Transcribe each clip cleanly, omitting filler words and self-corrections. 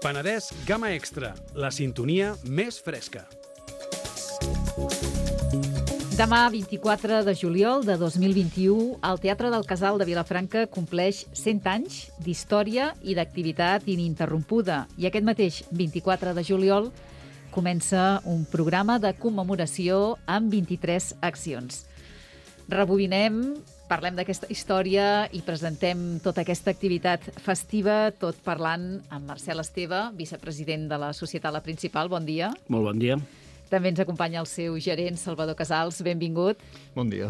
Penedès Gamma Extra, la sintonia més fresca. Demà, 24 de juliol de 2021, el Teatre del Casal de Vilafranca compleix 100 anys d'història i d'activitat ininterrompuda. I aquest mateix 24 de juliol comença un programa de commemoració amb 23 accions. Rebobinem, parlem d'aquesta història i presentem tota aquesta activitat festiva, tot parlant amb Marcel Esteve, vicepresident de la Societat La Principal. Bon dia. Molt bon dia. També ens acompanya el seu gerent, Salvador Casals. Benvingut. Bon dia.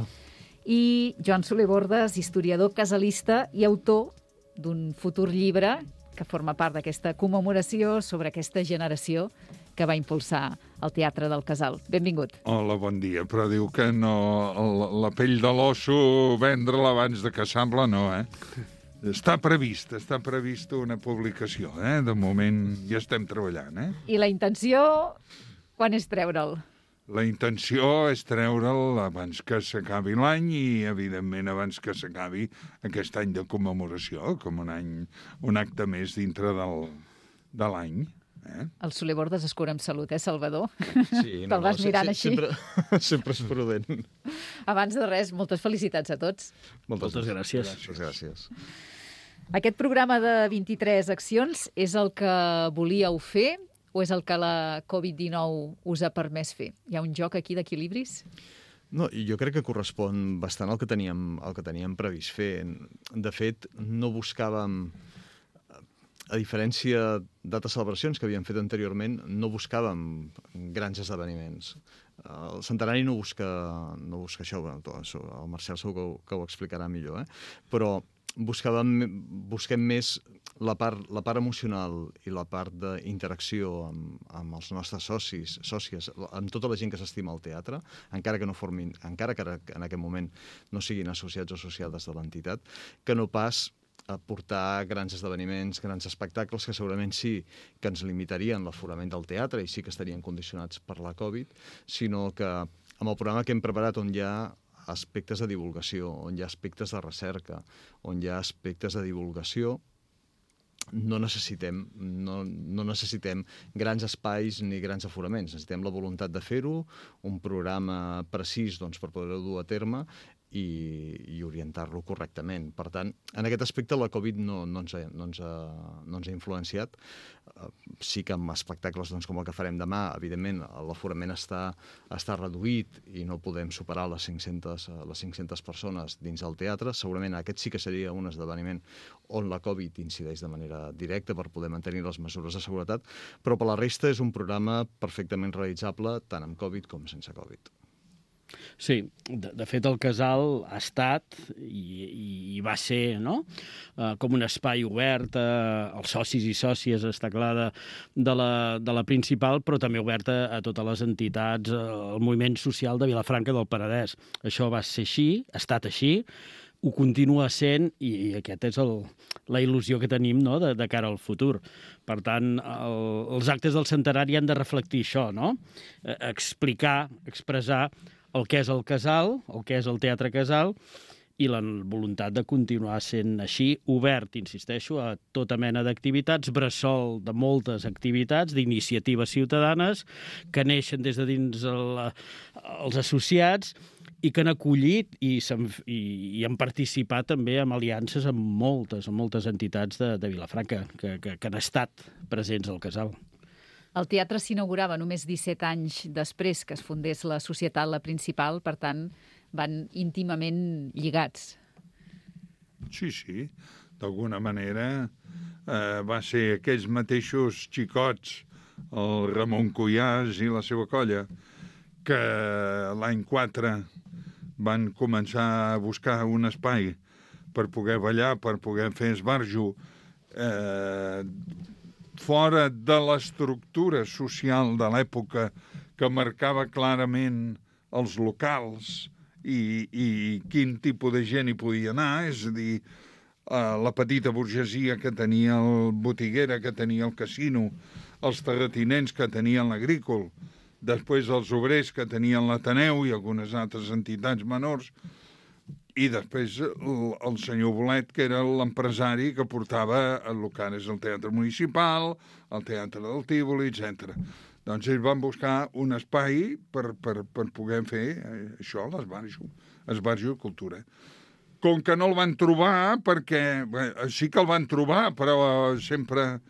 I Joan Soler Bordes, historiador casalista i autor d'un futur llibre que forma part d'aquesta commemoració sobre aquesta generació que va impulsar el Teatre del Casal. Benvingut. Hola, bon dia. Però diu que no, la pell de l'osso vendre-la abans de caçar-la, no, Està prevista una publicació, De moment ja estem treballant, I la intenció, quan és treure'l? La intenció és treure'l abans que s'acabi l'any i, evidentment, abans que s'acabi aquest any de commemoració, com un acte més dintre de l'any. El Soler Bordes es cura amb salut, Salvador? Sí, Te'l vas mirant així. Sempre és prudent. Abans de res, moltes felicitats a tots. Moltes gràcies. Gràcies. Aquest programa de 23 accions és el que volíeu fer o és el que la Covid-19 us ha permès fer? Hi ha un joc aquí d'equilibris? No, jo crec que correspon bastant al que teníem previst fer. De fet, no buscàvem, a diferència d'altres celebracions que havíem fet anteriorment, no buscàvem grans esdeveniments. El centenari no busca això, el Marcel segur que ho explicarà millor, però busquem més la part emocional i la part d'interacció amb els nostres socis, sòcies, amb tota la gent que s'estima al teatre, encara que en aquest moment no siguin associats o associades de l'entitat, que no pas a portar grans esdeveniments, grans espectacles, que segurament sí que ens limitarien l'aforament del teatre i sí que estarien condicionats per la Covid, sinó que amb el programa que hem preparat, on hi ha aspectes de divulgació, on hi ha aspectes de recerca, on hi ha aspectes de divulgació, no necessitem grans espais ni grans aforaments. Necessitem la voluntat de fer-ho, un programa precís per poder-ho dur a terme i orientar-lo correctament. Per tant, en aquest aspecte la Covid no ens ha influenciat. Sí que amb espectacles com el que farem demà, evidentment, l'aforament està reduït i no podem superar les 500 persones dins el teatre. Segurament aquest sí que seria un esdeveniment on la Covid incideix de manera directa per poder mantenir les mesures de seguretat, però per la resta és un programa perfectament realitzable tant amb Covid com sense Covid. Sí, de fet el Casal ha estat i va ser, com un espai obert als socis i sòcies, està clar, de la Principal, però també obert a totes les entitats, al moviment social de Vilafranca del Penedès. Això va ser així, ha estat així, ho continua sent i aquesta és la il·lusió que tenim de cara al futur. Per tant, els actes del centenari han de reflectir això, explicar, expressar el que és el Casal, el que és el Teatre Casal, i la voluntat de continuar sent així, obert, insisteixo, a tota mena d'activitats, bressol de moltes activitats, d'iniciatives ciutadanes, que neixen des de dins els associats i que han acollit i han participat també en aliances amb moltes entitats de Vilafranca que han estat presents al Casal. El teatre s'inaugurava només 17 anys després que es fundés la Societat La Principal, per tant, van íntimament lligats. Sí. D'alguna manera va ser aquells mateixos xicots, el Ramon Cuyàs i la seva colla, que l'any 4 van començar a buscar un espai per poder ballar, per poder fer esbarjo, fora de l'estructura social de l'època que marcava clarament els locals i quin tipus de gent hi podia anar, és a dir, la petita burgesia que tenia el botiguera, que tenia el casino, els terratinents que tenien l'agrícol, després els obrers que tenien l'Ateneu i algunes altres entitats menors, I després el senyor Bolet, que era l'empresari que portava el que ara és el Teatre Municipal, el Teatre del Tívoli, etc. Doncs ells van buscar un espai per poder fer això, l'esbarjo de cultura. Com que no el van trobar, perquè sí que el van trobar, però sempre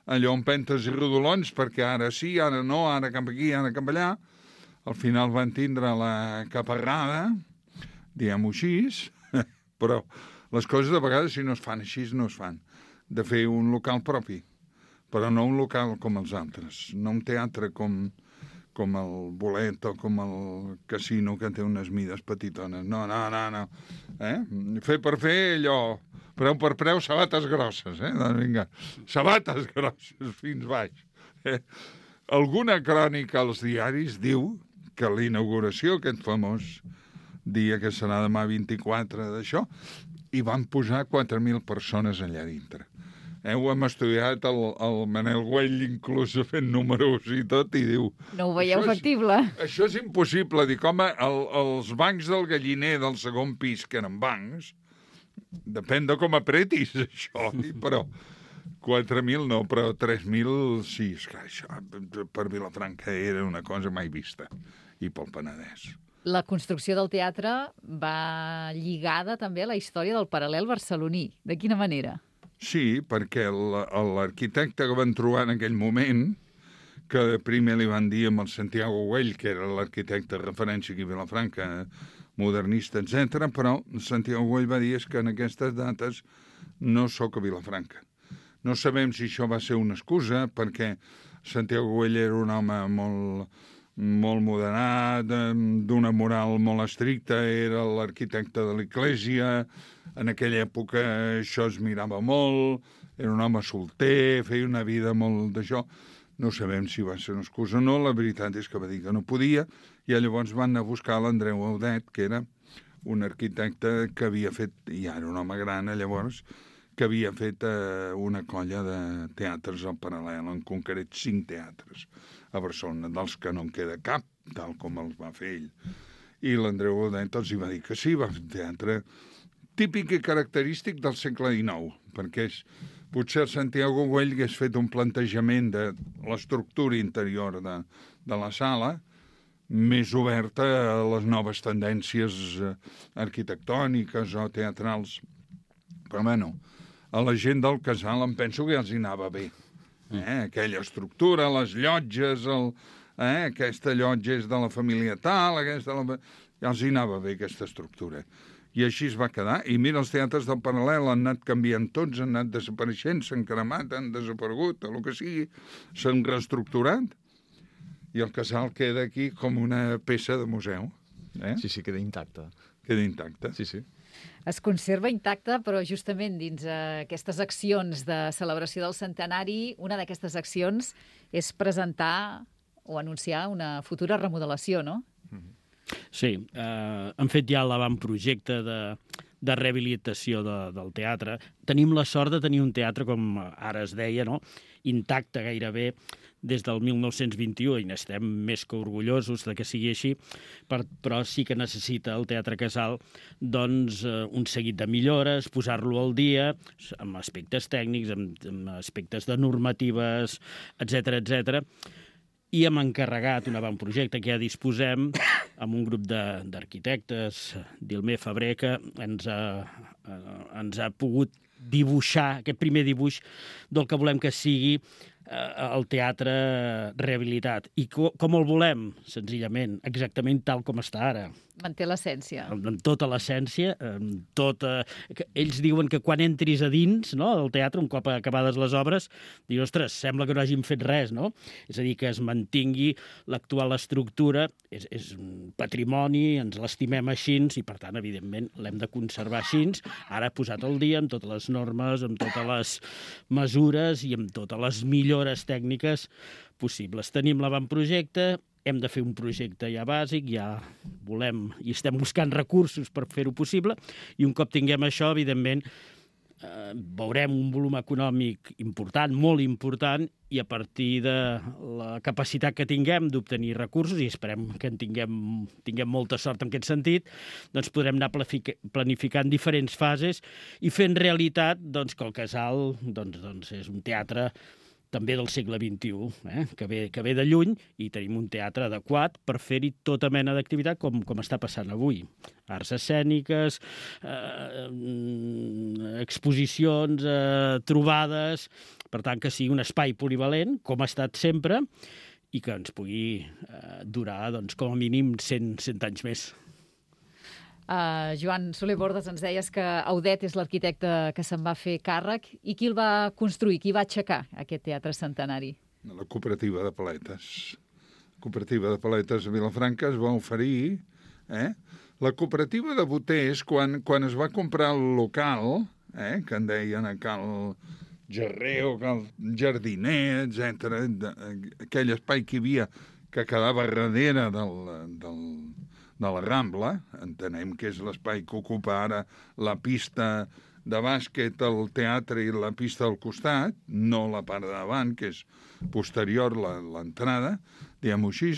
allò amb pentes i rodolons, perquè ara sí, ara no, ara cap aquí, ara cap allà. Al final van tindre la caparrada, diguem-ho així, però les coses de vegades, si no es fan així, no es fan. De fer un local propi, però no un local com els altres, no un teatre com el Bolet o com el Casino, que té unes mides petitones. No. Fer per fer allò, preu per preu, sabates grosses, doncs vinga, sabates grosses fins baix. Alguna crònica als diaris diu que la inauguració, aquest famós dia que serà demà 24 d'això, hi van posar 4.000 persones allà dintre. Ho hem estudiat, el Manel Güell inclús fent números i tot, i diu... No ho veieu factible? Això és impossible. Dic, home, els bancs del Galliner del segon pis, que eren bancs, depèn de com apretis, això, però 4.000 no, però 3.000 sí. És que això per Vilafranca era una cosa mai vista, i pel Penedès. La construcció del teatre va lligada també a la història del paral·lel barceloní. De quina manera? Sí, perquè l'arquitecte que van trobar en aquell moment, que primer li van dir amb el Santiago Güell, que era l'arquitecte de referència aquí a Vilafranca, modernista, etc., però Santiago Güell va dir que en aquestes dates no sóc a Vilafranca. No sabem si això va ser una excusa, perquè Santiago Güell era un home molt moderat, d'una moral molt estricta, era l'arquitecte de l'Església, en aquella època això es mirava molt, era un home solter, feia una vida molt d'això. No sabem si va ser una excusa o no, la veritat és que va dir que no podia, i llavors van anar a buscar l'Andreu Audet, que era un arquitecte que havia fet, i ara un home gran llavors, que havia fet una colla de teatres al paral·lel, en concret 5 teatres a Barcelona, dels que no en queda cap, tal com els va fer ell. I l'Andreu Audet els hi va dir que sí, va fer un teatre típic i característic del segle XIX, perquè potser el Santiago Güell hagués fet un plantejament de l'estructura interior de la sala més oberta a les noves tendències arquitectòniques o teatrals. Però, bueno, a la gent del casal em penso que ja els hi anava bé. Aquella estructura, les llotges, aquesta llotja és de la família tal, ja els hi anava bé aquesta estructura. I així es va quedar. I mira, els teatres del paral·lel han anat canviant tots, han anat desapareixent, s'han cremat, han desaparegut, el que sigui, s'han reestructurat, i el casal queda aquí com una peça de museu. Sí, queda intacte. Queda intacte. Sí. Es conserva intacte, però justament dins aquestes accions de celebració del centenari, una d'aquestes accions és presentar o anunciar una futura remodelació, no? Sí, han fet ja l'avantprojecte de rehabilitació del teatre. Tenim la sort de tenir un teatre, com ara es deia, no? Intacte gairebé des del 1921, i n'estem més que orgullosos de que sigui així, però sí que necessita el Teatre Casal doncs, un seguit de millores, posar-lo al dia, amb aspectes tècnics, amb aspectes de normatives, etc. I hem encarregat un avantprojecte que ja disposem amb un grup d'arquitectes, Dilmer Febrer, que ens ha pogut dibuixar aquest primer dibuix del que volem que sigui el teatre rehabilitat. I com el volem? Senzillament, exactament tal com està ara. Manté l'essència. Amb tota l'essència, ells diuen que quan entris a dins, no, del teatre, un cop acabades les obres, dius, ostres, sembla que no hagin fet res, no? És a dir, que es mantingui l'actual estructura, és un patrimoni, ens l'estimem així, i per tant, evidentment, l'hem de conservar així, ara posat al dia amb totes les normes, amb totes les mesures i amb totes les millores tècniques possibles. Tenim l'avantprojecte, hem de fer un projecte ja bàsic, ja volem i estem buscant recursos per fer-ho possible, i un cop tinguem això, evidentment, veurem un volum econòmic important, molt important, i a partir de la capacitat que tinguem d'obtenir recursos, i esperem que en tinguem molta sort en aquest sentit, doncs podrem anar planificant diferents fases i fent realitat doncs, que el Casal doncs és un teatre també del segle XXI, que ve de lluny, i tenim un teatre adequat per fer-hi tota mena d'activitat com està passant avui. Arts escèniques, exposicions, trobades, per tant que sigui un espai polivalent, com ha estat sempre, i que ens pugui durar doncs, com a mínim 100 anys més. Joan Soler Bordes, ens deies que Audet és l'arquitecte que se'n va fer càrrec. I qui el va construir? Qui va aixecar aquest teatre centenari? La cooperativa de paletes. La cooperativa de paletes a Vilafranca es va oferir. La cooperativa de boters, quan es va comprar el local, que en deien a Cal Gerreo, Cal Jardiner, etc., aquell espai que hi havia que quedava darrere de la Rambla, entenem que és l'espai que ocupa ara la pista de bàsquet, el teatre i la pista del costat, no la part de davant, que és posterior l'entrada, diguem-ho així,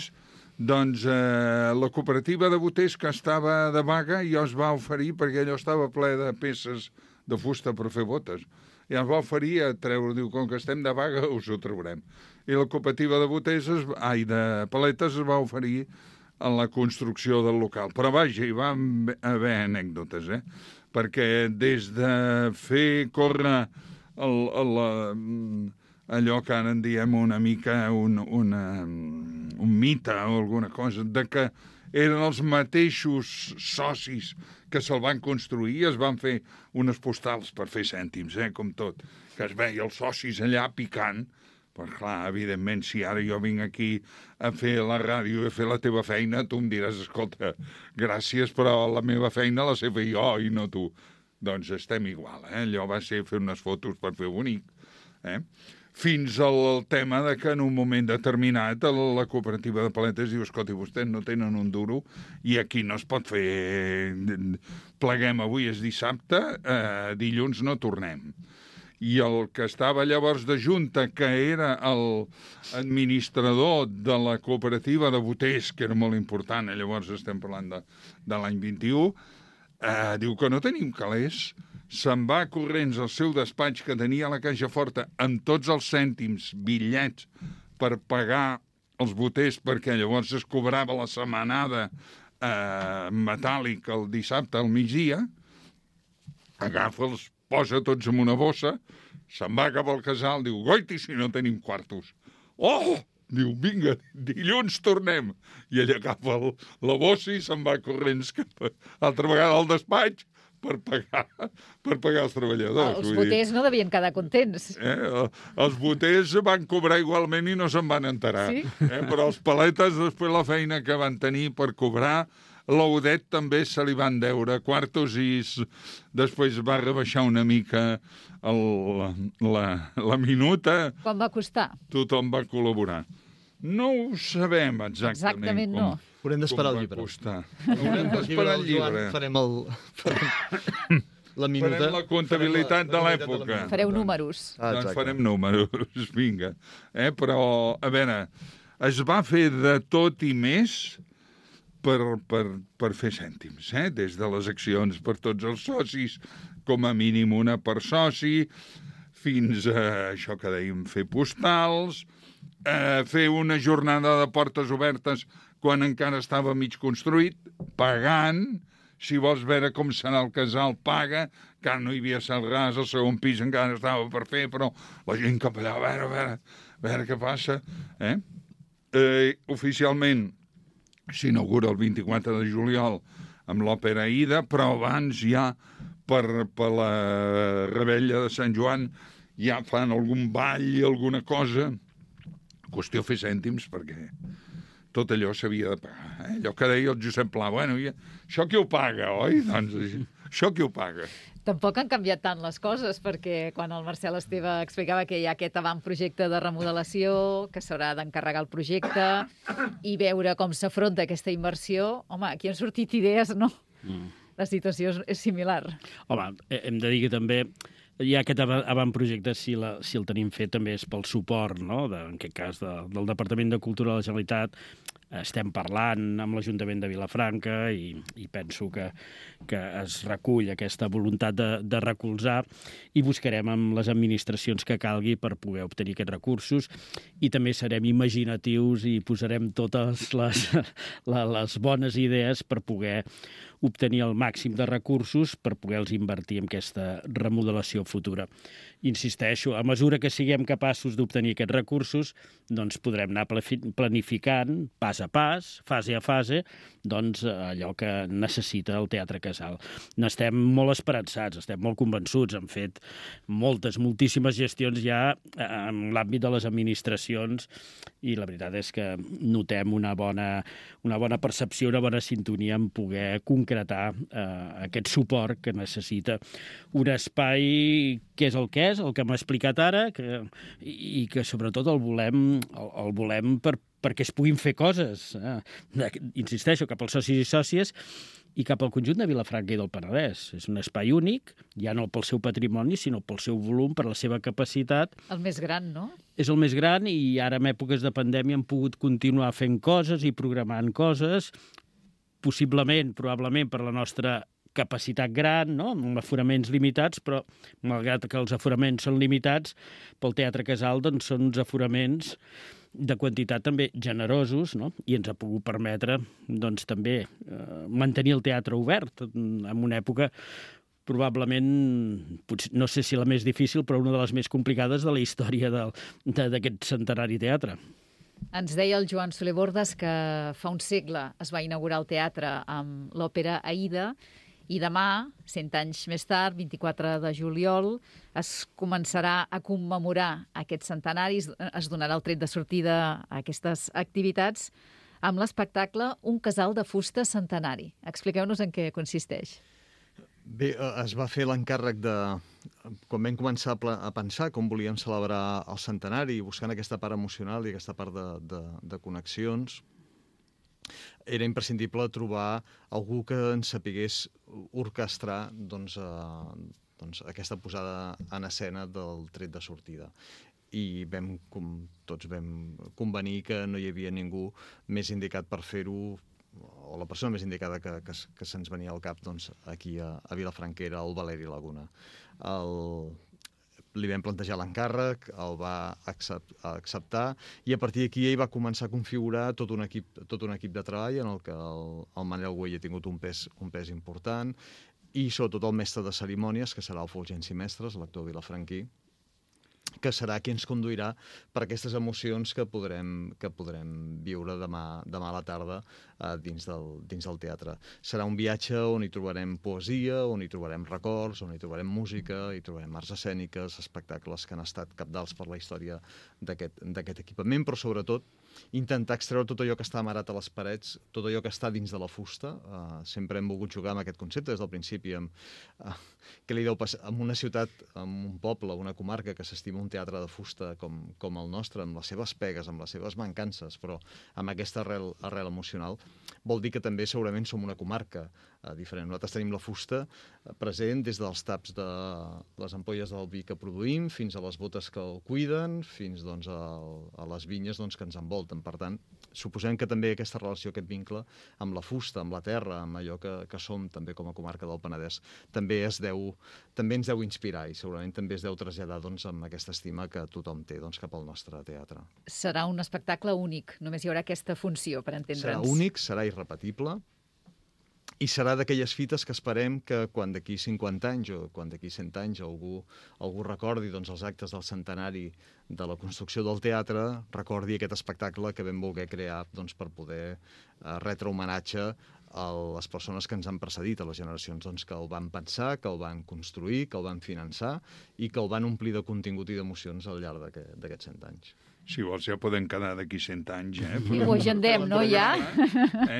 doncs la cooperativa de boters que estava de vaga ja es va oferir, perquè allò estava ple de peces de fusta per fer botes, i ens va oferir a treure, diu, com que estem de vaga us ho traurem. I la cooperativa de boters, de paletes, es va oferir a la construcció del local. Però vaja, hi va haver anècdotes, perquè des de fer córrer allò que ara en diem una mica un mite o alguna cosa, de que eren els mateixos socis que se'l van construir i es van fer unes postals per fer cèntims, com tot, que es veia els socis allà picant. Però clar, evidentment, si ara jo vinc aquí a fer la ràdio i a fer la teva feina, tu em diràs, escolta, gràcies, però la meva feina la sé fer jo i no tu. Doncs estem igual, Allò va ser fer unes fotos per fer bonic, Fins al tema de que en un moment determinat la cooperativa de paletes diu, escolta, vostès no tenen un duro i aquí no es pot fer... Pleguem, avui és dissabte, dilluns no tornem. I el que estava llavors de junta, que era l'administrador de la cooperativa de boters, que era molt important, llavors estem parlant de l'any 21, diu que no tenim calés, se'n va corrents al seu despatx que tenia a la Caixa Forta amb tots els cèntims, bitllets, per pagar els boters, perquè llavors es cobrava la setmanada metàl·lic el dissabte al migdia, agafa-els, posa tots en una bossa, se'n va cap al casal, diu, goiti, si no tenim quartos. Oh! Diu, vinga, dilluns tornem. I ell agafa la bossa i se'n va corrents altra vegada al despatx per pagar els treballadors. Els boters no devien quedar contents. Els boters van cobrar igualment i no se'n van enterar. Sí? Però els paletes, després la feina que van tenir per cobrar, l'Audet també se li van deure quartos i després va rebaixar una mica la minuta. Quan va costar? Tothom va col·laborar. No ho sabem exactament no. Haurem d'esperar el llibre. Haurem d'esperar el llibre. Farem la minuta. Farem la comptabilitat de l'època. Fareu números. Doncs farem números, vinga. Però, a veure, es va fer de tot i més per fer cèntims, des de les accions per tots els socis, com a mínim una per soci, fins a això que dèiem, fer postals, fer una jornada de portes obertes quan encara estava mig construït, pagant, si vols veure com serà el casal, paga, que no hi havia cel ras, el segon pis encara estava per fer, però la gent cap allà, a veure què passa. Oficialment, s'inaugura el 24 de juliol amb l'òpera Aida, però abans ja per la rebella de Sant Joan ja fan algun ball i alguna cosa. Qüestió fer cèntims, perquè tot allò s'havia de pagar. Allò que deia el Josep Pla, bueno, això qui ho paga, oi? Doncs això qui ho paga? Tampoc han canviat tant les coses, perquè quan el Marcel Esteve explicava que hi ha aquest avantprojecte de remodelació, que s'haurà d'encarregar el projecte i veure com s'afronta aquesta inversió, home, aquí han sortit idees, no? La situació és similar. Home, hem de dir que també ja aquest avantprojecte, si el tenim fet, també és pel suport, no? En aquest cas, del Departament de Cultura de la Generalitat. Estem parlant amb l'Ajuntament de Vilafranca i penso que es recull aquesta voluntat de recolzar i buscarem amb les administracions que calgui per poder obtenir aquests recursos i també serem imaginatius i posarem totes les bones idees per poder obtenir el màxim de recursos per poder-los invertir en aquesta remodelació futura. Insisteixo, a mesura que siguem capaços d'obtenir aquests recursos, doncs podrem anar planificant pas a pas, fase a fase, doncs allò que necessita el Teatre Casal. N'estem molt esperançats, estem molt convençuts, hem fet moltíssimes gestions ja en l'àmbit de les administracions i la veritat és que notem una bona percepció, una bona sintonia en poder concretar aquest suport que necessita un espai que és el que m'ha explicat ara i que sobretot el volem perquè es puguin fer coses. Insisteixo, cap als socis i sòcies i cap al conjunt de Vilafranca i del Penedès. És un espai únic, ja no pel seu patrimoni, sinó pel seu volum, per la seva capacitat. El més gran, no? És el més gran i ara en èpoques de pandèmia hem pogut continuar fent coses i programant coses, probablement per la nostra capacitat gran, no? Amb aforaments limitats, però malgrat que els aforaments són limitats, pel Teatre Casal doncs, són uns aforaments de quantitat també generosos, no? I ens ha pogut permetre doncs, també mantenir el teatre obert en una època probablement, no sé si la més difícil, però una de les més complicades de la història d'aquest centenari teatre. Ens deia el Joan Soler Bordes que fa un segle es va inaugurar el teatre amb l'òpera Aida i demà, 100 anys més tard, 24 de juliol, es començarà a commemorar aquests centenaris, es donarà el tret de sortida a aquestes activitats amb l'espectacle Un casal de fusta centenari. Expliqueu-nos en què consisteix. Bé, es va fer l'encàrrec de... Quan vam començar a pensar com volíem celebrar el centenari, buscant aquesta part emocional i aquesta part de connexions, era imprescindible trobar algú que ens sapigués orquestrar aquesta posada en escena del tret de sortida. I tots vam convenir que no hi havia ningú més indicat per fer-ho, o la persona més indicada que se'ns venia al cap aquí a Vilafranca era el Valeri Laguna. Li vam plantejar l'encàrrec, el va acceptar i a partir d'aquí ell va començar a configurar tot un equip de treball en el que el Manel Güell ha tingut un pes important i sobretot el mestre de cerimònies, que serà el Fulgenci Mestres, l'actor vilafranquí, que serà qui ens conduirà per aquestes emocions que podrem viure demà a la tarda dins del teatre. Serà un viatge on hi trobarem poesia, on hi trobarem records, on hi trobarem música, hi trobarem arts escèniques, espectacles que han estat cabdals per la història d'aquest equipament, però sobretot intentar extreure tot allò que està amarat a les parets, tot allò que està dins de la fusta. Sempre hem volgut jugar amb aquest concepte des del principi, què li deu passar en una ciutat, en un poble, una comarca que s'estima un teatre de fusta com el nostre, amb les seves pegues, amb les seves mancances, però amb aquesta arrel emocional, vol dir que també segurament som una comarca diferent. Nosaltres tenim la fusta present des dels taps de les ampolles del vi que produïm, fins a les botes que el cuiden, fins a les vinyes que ens envolten. Per tant, suposem que també aquesta relació, aquest vincle amb la fusta, amb la terra, amb allò que som també com a comarca del Penedès, també ens deu inspirar i segurament també es deu traslladar amb aquesta estima que tothom té cap al nostre teatre. Serà un espectacle únic, només hi haurà aquesta funció, per entendre'ns. Serà únic, serà irrepetible, i serà d'aquelles fites que esperem que quan d'aquí 50 anys o quan d'aquí 100 anys algú recordi els actes del centenari de la construcció del teatre, recordi aquest espectacle que vam voler crear per poder retre homenatge a les persones que ens han precedit, a les generacions que el van pensar, que el van construir, que el van finançar i que el van omplir de contingut i d'emocions al llarg d'aquests 100 anys. Si vols, ja podem quedar d'aquí 100 anys, I ho agendem, no, ja?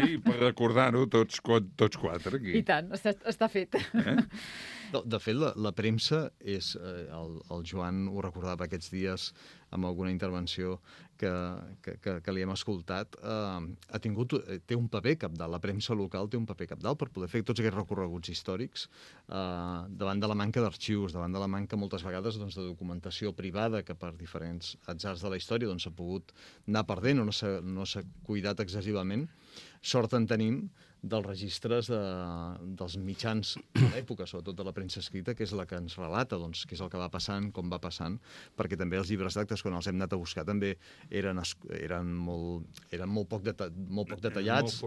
I per recordar-ho tots quatre aquí. I tant, està fet. De fet, la premsa és... El Joan ho recordava aquests dies amb alguna intervenció que li hem escoltat, té un paper cabdal, la premsa local té un paper cabdal per poder fer tots aquests recorreguts històrics davant de la manca d'arxius, davant de la manca moltes vegades de documentació privada que per diferents atzars de la història s'ha pogut anar perdent o no s'ha cuidat excessivament. Sort en tenim dels registres dels mitjans de l'època, sobretot de la premsa escrita, que és la que ens relata què és el que va passant, com va passant, perquè també els llibres d'actes, quan els hem anat a buscar, també eren molt poc detallats.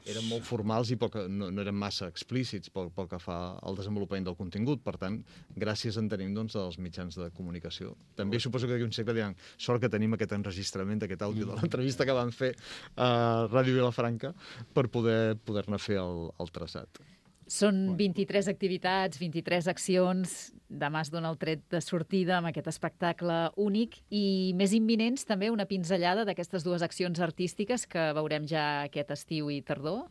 Eren molt formals i no eren massa explícits pel que fa al desenvolupament del contingut. Per tant, gràcies en tenim dels mitjans de comunicació. També suposo que d'aquí un segle diran sort que tenim aquest enregistrament, aquest àudio de l'entrevista que van fer a Ràdio Vilafranca per poder-ne fer el traçat. Són 23 activitats, 23 accions. Demà es dona el tret de sortida amb aquest espectacle únic i més imminents també una pinzellada d'aquestes dues accions artístiques que veurem ja aquest estiu i tardor.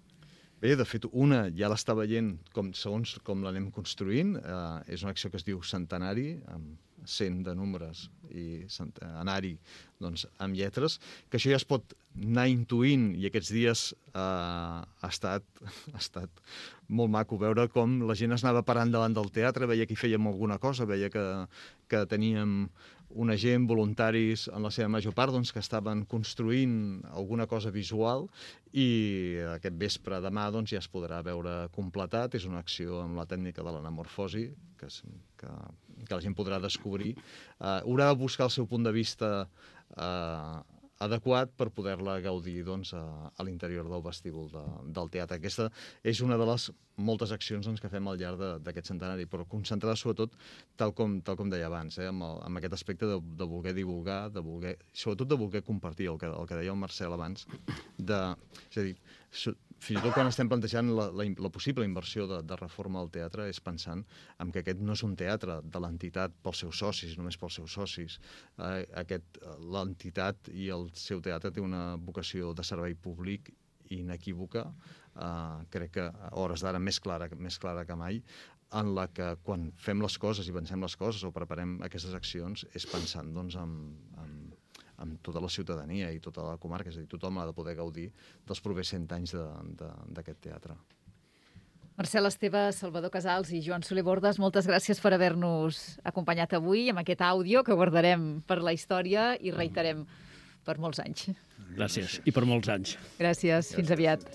Bé, de fet, una ja l'està veient segons com l'anem construint. És una acció que es diu Centenari, amb 100 de números i centenari amb lletres, que això ja es pot anar intuint i aquests dies ha estat molt maco veure com la gent es anava parant davant del teatre, veia que hi fèiem alguna cosa, veia que teníem una gent, voluntaris, en la seva major part, que estaven construint alguna cosa visual i aquest vespre demà ja es podrà veure completat. És una acció amb la tècnica de l'anamorfosi que la gent podrà descobrir. Haurà de buscar el seu punt de vista adequat per poder-la gaudir a l'interior del vestíbul del teatre. Aquesta és una de les moltes accions que fem al llarg d'aquest centenari, però concentrada sobretot, tal com deia abans, amb aquest aspecte de voler divulgar, sobretot de voler compartir, el que deia el Marcel abans, és a dir, fins i tot quan estem plantejant la possible inversió de reforma del teatre és pensant en que aquest no és un teatre de l'entitat pels seus socis, només pels seus socis. L'entitat i el seu teatre té una vocació de servei públic inequívoca, crec que a hores d'ara més clara que mai, en la que quan fem les coses i pensem les coses o preparem aquestes accions és pensant amb tota la ciutadania i tota la comarca, és a dir, tothom ha de poder gaudir dels propers 100 anys d'aquest teatre. Marcel Esteve, Salvador Casals i Joan Soler Bordes, moltes gràcies per haver-nos acompanyat avui amb aquest àudio que guardarem per la història i reiterem per molts anys. Gràcies, i per molts anys. Gràcies, fins aviat.